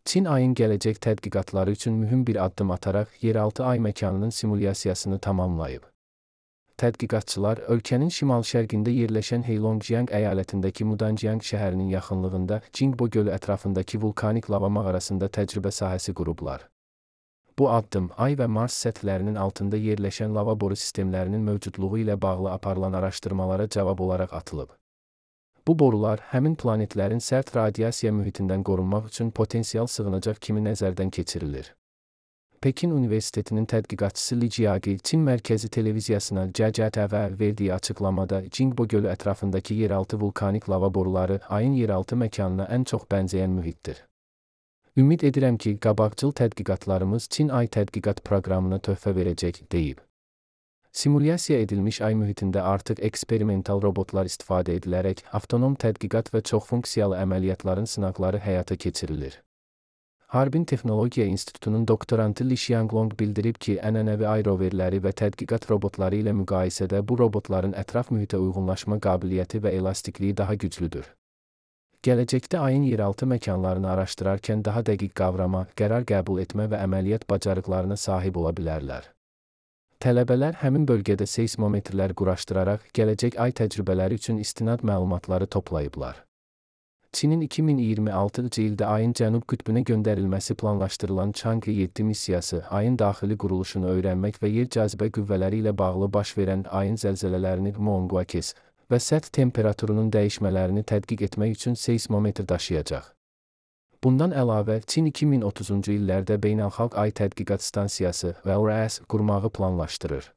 Çin ayın gələcək tədqiqatları üçün mühüm bir addım ataraq yeraltı ay məkanının simulyasiyasını tamamlayıb. Tədqiqatçılar ölkənin şimal-şərqində yerləşən Heilongjiang əyalətindəki Mudanjiang şəhərinin yaxınlığında Jingbo gölü ətrafındakı vulkanik lava mağarasında təcrübə sahəsi qurublar. Bu addım Ay və Mars səthlərinin altında yerləşən lava boru sistemlərinin mövcudluğu ilə bağlı aparılan araşdırmalara cavab olaraq atılıb. Bu borular həmin planetlərin sərt radiasiya mühitindən qorunmaq üçün potensial sığınacaq kimi nəzərdən keçirilir. Pekin Universitetinin tədqiqatçısı Li Jiaqi Çin mərkəzi televiziyasına CCTV verdiyi açıqlamada Jingbo gölü ətrafındakı yeraltı vulkanik lava boruları ayın yeraltı məkanına ən çox bənzəyən mühitdir. Ümid edirəm ki, qabaqcıl tədqiqatlarımız Çin ay tədqiqat proqramına töhfə verəcək, deyib. Simulyasiya edilmiş ay mühitində artıq eksperimental robotlar istifadə edilərək avtonom tədqiqat və çoxfunksiyalı əməliyyatların sınaqları həyata keçirilir. Harbin Texnologiya İnstitutunun doktorantı Li Xianglong bildirib ki, ənənəvi ay roverləri və tədqiqat robotları ilə müqayisədə bu robotların ətraf mühitə uyğunlaşma qabiliyyəti və elastikliyi daha güclüdür. Gələcəkdə ayın yeraltı məkanlarını araşdırarkən daha dəqiq qavrama, qərar qəbul etmə və əməliyyat bacarıqlarına sahib ola bilərlər. Tələbələr həmin bölgədə seismometrlər quraşdıraraq gələcək ay təcrübələri üçün istinad məlumatları toplayıblar. Çinin 2026-cı ildə ayın cənub qütbünə göndərilməsi planlaşdırılan Chang'e 7 missiyası ayın daxili quruluşunu öyrənmək və yer cazibə qüvvələri ilə bağlı baş verən ayın zəlzələlərini Monguakes və səth temperaturunun dəyişmələrini tədqiq etmək üçün seismometr daşıyacaq. Bundan əlavə, Çin 2030-cu illərdə beynəlxalq ay tədqiqat stansiyası (VLRS) qurmağı planlaşdırır.